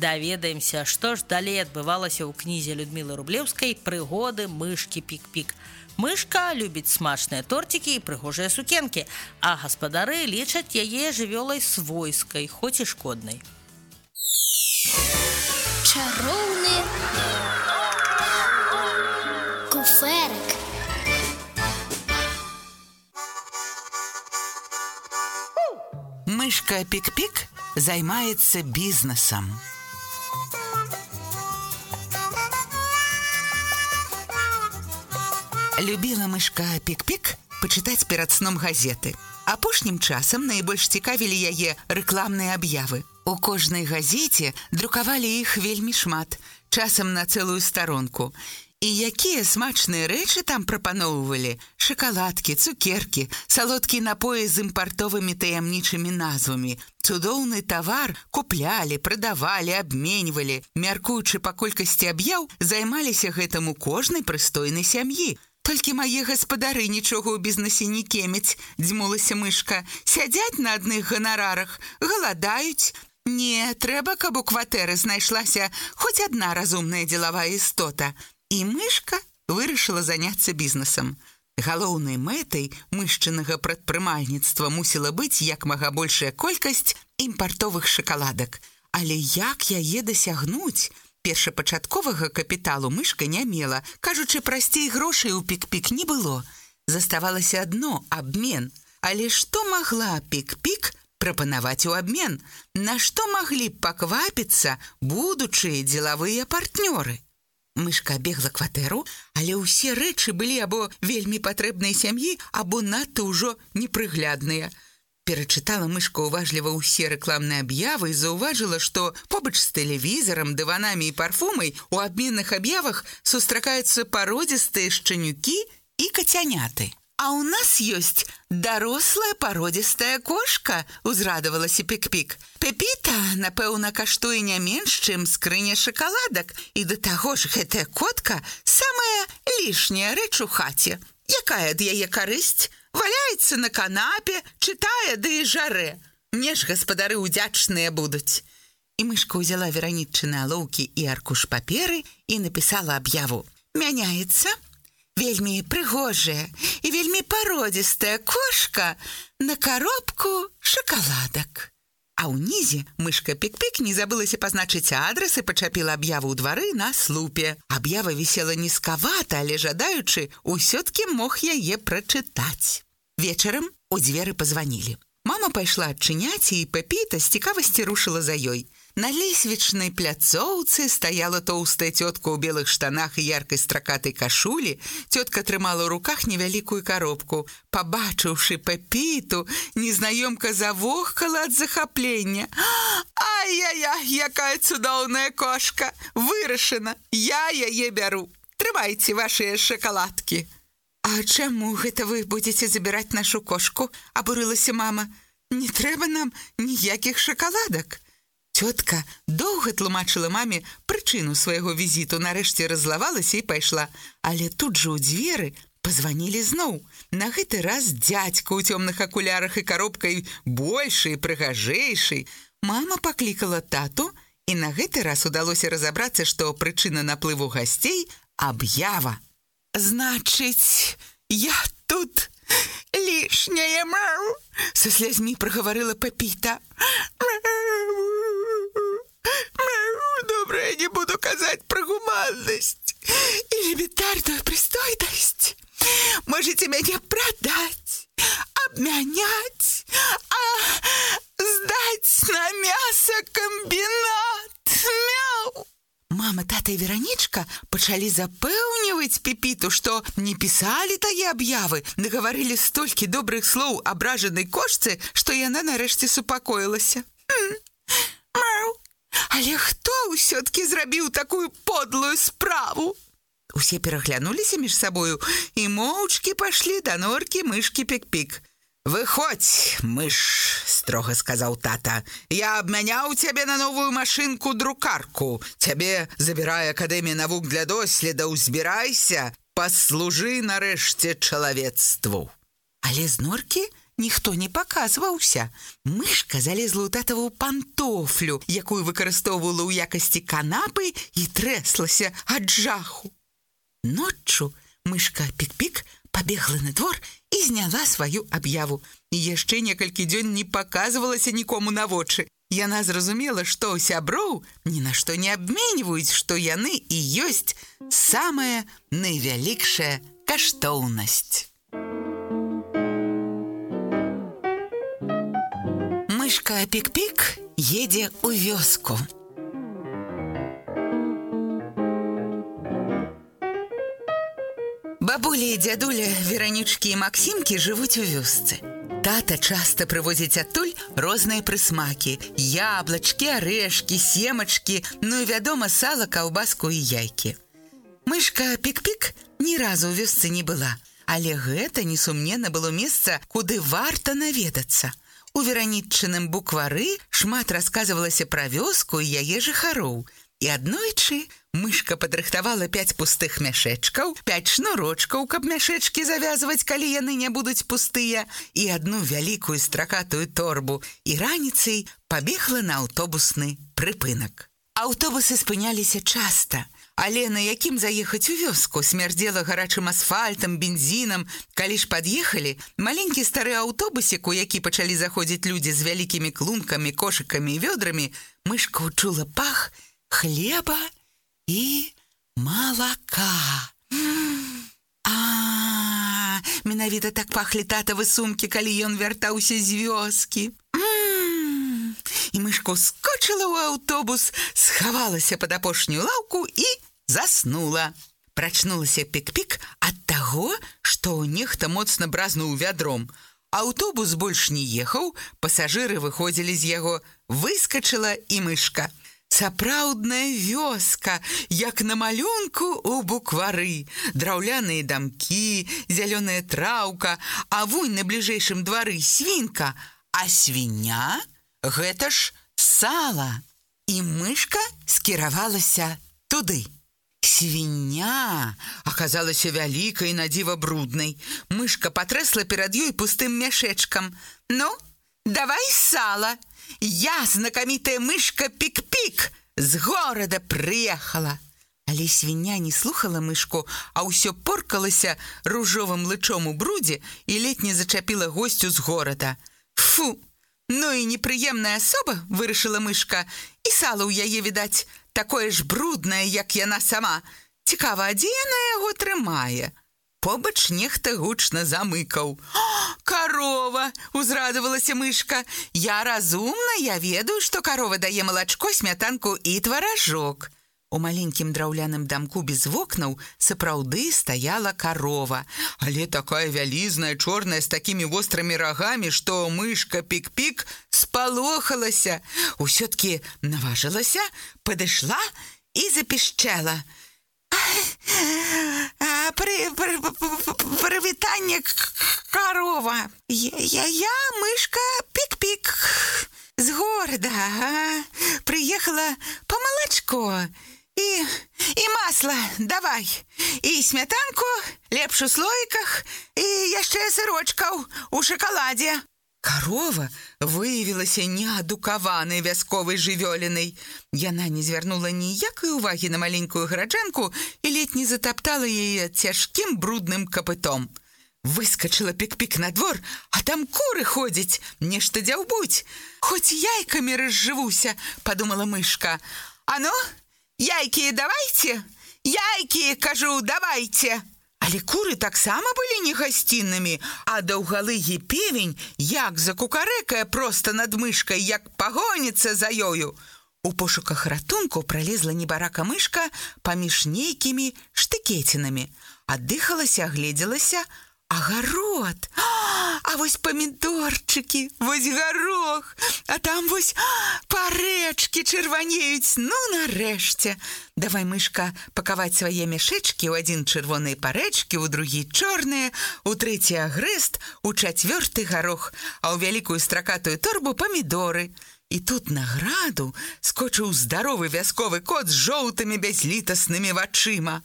Даведаемся, што ж далей адбывалася ў кнізе Людмілы Рублеўскай «Прыгоды мышкі Пік-Пік». Мышка любіць смачныя торцікі і прыгожыя сукенкі, а гаспадары лічаць яе жывёлай свойскай, хоць і шкоднай. Чароўны куфэрак. Мышка Пік-Пік займаецца бізнесам. Любіла мышка Пік-Пік пачытаць перад сном газеты. Апошнім часам найбольш цікавілі яе рэкламныя аб'явы. У кожнай газеце друкавалі іх вельмі шмат, часам на цэлую старонку. І якія смачныя рэчы там прапаноўвалі: шакаладкі, цукеркі, салодкія напоі з імпартовымі таямнічымі назвамі. Цудоўны тавар куплялі, прадавалі, абменьвалі. Мяркуючы па колькасці аб'яў, займаліся гэтым у кожнай прыстойнай сям'і. Толькі мае гаспадары нічога ў бізнесе не кемяць, дзьмулася мышка. Сядзяць на адных ганарарах, галадаюць. Не, трэба, каб у кватэры знайшлася хоць адна разумная дзелавая істота. І мышка вырашыла заняцца бізнесам. Галоўнай мэтай мышчынага прадпрымальніцтва мусіла быць як мага большая колькасць імпартовых шакаладак. Але як яе дасягнуць? Першапачатковага капіталу мышка не мела. Кажучы, прасцей грошай у Пік-Пік не было. Заставалася адно — абмен. Але што магла Пік-Пік прапанаваць у абмен? На што маглі б паквапіцца будучыя дзелавыя партнёры? Мышка бегла кватэру, але ўсе рэчы былі або вельмі патрэбнай сям'і, або надта ўжо непрыглядныя. Перачытала мышка уважліва ўсе рэкламныя аб'явы і заўважыла, што побач з тэлевізарам, дыванамі і парфумай у абменных аб'явах сустракаюцца пародзістыя шчанюкі і кацяняты. «А ў нас ёсць дарослая пародзістая кошка», — узрадавалася Пік-Пік. «Пепіта, напэўна, каштуе не менш, чым скрыня шакаладак. І да таго ж гэтая котка — самая лішняя рэч у хаце. Якая ад яе карысць? Валяецца на канапе, чытае ды і жарэ. Мне ж гаспадары ўдзячныя будуць». І мышка ўзяла вераніччыны алоўкі і аркуш паперы і напісала аб'яву. «Мяняецца вельмі прыгожая і вельмі пародзістая кошка на коробку шакаладак». А ўнізе мышка Пік-Пік не забылася пазначыць адрас і пачапіла аб'яву ў двары на слупе. Аб'ява вісела нізкавата, але жадаючы ўсё-ткі мог яе прачытаць. Вечарам у дзверы пазванілі. Мама пайшла адчыняць, і Пепіта з цікавасці рушыла за ёй. На лесвічнай пляцоўцы стаяла тоўстая цётка ў белых штанах і яркай стракатай кашулі. Цётка трымала ў руках невялікую коробку. Пабачыўшы Пепіту, незнаёмка завохкала ад захаплення. «Ай-яй-яй, якая цудоўная кошка! Вырашана, я яе бяру. Трымайце вашыя шакаладкі». «А чаму гэта вы будзеце забіраць нашу кошку?» — абурылася мама. «Не трэба нам ніякіх шакаладак». Цётка доўга тлумачыла маме прычыну свайго візіту, нарэшце раззлавалася і пайшла. Але тут жа ў дзверы пазванілі зноў. На гэты раз дзядзька ў цёмных акулярах і коробкай большы і прыгажэйшы. Мама паклікала тату, і на гэты раз удалося разабрацца, што прычына наплыву гасцей — аб'ява. «Значыць, я тут лішняя, мяу!» — са слязьмі прагаварыла Пепіта. «Добра, я не буду казаць пра гуманнасць і элементарную прыстойнасць. Можете мяне прадаць, абмяняць, здаць на мясакамбінат. Мяу!» Мама, тата і Веранічка пачалі запэўніваць Пепіту, што не пісалі тае аб'явы, нагаварылі столькі добрых слоў абражанай кошцы, што яна нарэшце супакоілася. «Мяу! Але хто ўсё-ткі зрабіў такую подлую справу?» Усе пераглянуліся між сабою і моўчкі пайшлі да норкі мышкі Пік-Пік. «Выходзь, мыш!» — строга сказаў тата. «Я абмяняў цябе на новую машынку-друкарку. Цябе забірае Акадэмія навук для доследаў. Збірайся, паслужы нарэшце чалавецтву». Але з норкі ніхто не паказваўся. Мышка залезла ў татаву пантофлю, якую выкарыстоўвала ў якасці канапы, і трэслася ад жаху. Ноччу мышка Пік-Пік пабегла на двор і зняла сваю аб'яву. І яшчэ некалькі дзён не паказвалася нікому на вочы. Яна зразумела, што сяброў ні на што не абменьваюць, што яны і ёсць самая найвялікшая каштоўнасць. Мышка Пік-Пік едзе ў вёску. Бабуля і дзядуля Веранічкі і Максімкі жывуць у вёсцы. Тата часта прывозіць адтуль розныя прысмакі: яблачкі, арэшкі, семачкі, ну і, вядома, сала, каўбаску і яйкі. Мышка Пік-Пік ні разу ў вёсцы не была, але гэта, несумненна, было месца, куды варта наведацца. У Вераніччыным буквары шмат расказвалася пра вёску і яе жыхароў. І аднойчы мышка падрыхтавала 5 пустых мяшэчкаў, 5 шнурочкаў, каб мяшэчкі завязваць, калі яны не будуць пустыя, і одну вялікую стракатую торбу, і раніцай пабегла на аўтобусны прыпынак. Аўтобусы спыняліся часта, але на якім заехаць у вёску? Смярдзела гарачым асфальтам, бензінам. Калі ж пад'ехалі, маленькі стары аўтобусік, у які пачалі заходзіць людзі з вялікімі клункамі, кошыкамі і вёдрамі, мышка учула пах хлеба і малака. Менавіта так пахлі татавы сумкі, калі ён вяртаўся з вёскі. І мышка ускочыла ў аўтобус, схавалася пад апошнюю лаўку і заснула. Прачнулася Пік-Пік ад таго, што нехта моцна бразнуў вядром. Аўтобус больш не ехаў, пасажыры выходзілі з яго. Выскачыла і мышка. Сапраўдная вёска, як на малюнку ў буквары. Драўляныя дамкі, зялёная траўка, а вунь на бліжэйшым двары свінка. А свіня – гэта ж сала. І мышка скіравалася туды. Свіня аказалася вялікай, на дзіва бруднай. Мышка патрэсла перад ёй пустым мяшэчкам. «Ну, давай сала! Я, знакамітая мышка Пік-Пік, з горада прыехала!» Але свіня не слухала мышку, а ўсё поркалася ружовым лычом у брудзе і ледь не зачапіла госцю з горада. «Фу! Ну і непрыемная асоба!» – вырашыла мышка. «І сала ў яе, відаць, такое ж бруднае, як яна сама. Цікава, а дзе яна яго трымае?» Побач нехта гучна замыкаў. «Карова!» – узрадавалася мышка. «Я разумна, я ведаю, што карова дае малачко, смятанку і тваражок». У маленькім драўляным дамку без вокнаў сапраўды стаяла карова, але такая вялізная, чорная, з такімі вострымі рагамі, што мышка Пік-Пік спалохалася. Усё-ткі наважылася, падышла і запішчэла. «Прывітанне, карова! Я мышка Пік-Пік з горада. Прыехала па малачко. І масла давай. І смятанку, лепш у слоіках, і яшчэ сырочкаў у шакаладзе». Карова выявілася неадукаванай вясковай жывёлінай. Яна не звярнула ніякай увагі на маленькую гараджанку і ледь не затаптала яе цяжкім брудным капытом. Выскачыла Пік-Пік на двор, а там куры ходзяць, нешта дзяўбуць. «Хоць яйкамі разжывуся», – падумала мышка. «А ну, яйкі давайце! Яйкі, кажу, давайце!» Але куры таксама былі негасціннымі, а даўгалыгі певень як закукарэкае проста над мышкай, як пагоніцца за ёю. У пошуках ратунку пралезла небарака мышка паміж нейкімі штыкецінамі. Аддыхалася, агледзелася, агарод. А вось памідорчыкі, вось гарох, а там вось парэчкі чырванеюць. Ну, нарэшце. Давай, мышка, пакаваць свае мяшэчкі, у адзін чырвоныя парэчкі, у другі чорныя, у трэці агрэст, у чацвёрты гарох, а ў вялікую стракатую торбу памідоры. І тут на граду скочыў здаровы вясковы кот з жоўтымі бязлітаснымі вачыма.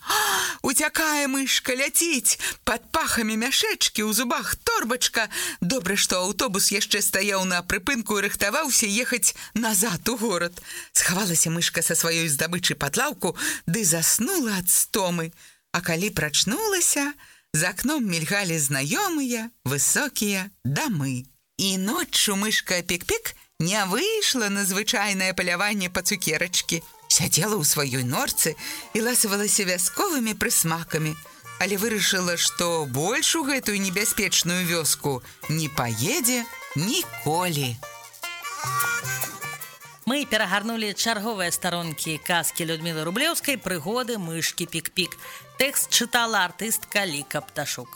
Уцякае мышка, ляціць, пад пахамі мяшэчкі, у зубах торбачка. Добра, што аўтобус яшчэ стаяў на прыпынку і рыхтаваўся ехаць назад у горад. Схавалася мышка са сваёй здабычы пад лаўку, ды заснула ад стомы. А калі прачнулася, за акном мільгалі знаёмыя высокія дамы. І ноччу мышка Пік-Пік не выйшла на звычайнае паляванне па цукерачкі. Сядзела ў сваёй норцы і ласавалася вясковымі прысмакамі, але вырашыла, што больш у гэтую небяспечную вёску не паедзе ніколі. Мы перагарнулі чарговыя старонкі казкі Людмілы Рублеўскай «Прыгоды мышкі Пік-Пік». Тэкст чытала артыстка Ліка Пташук.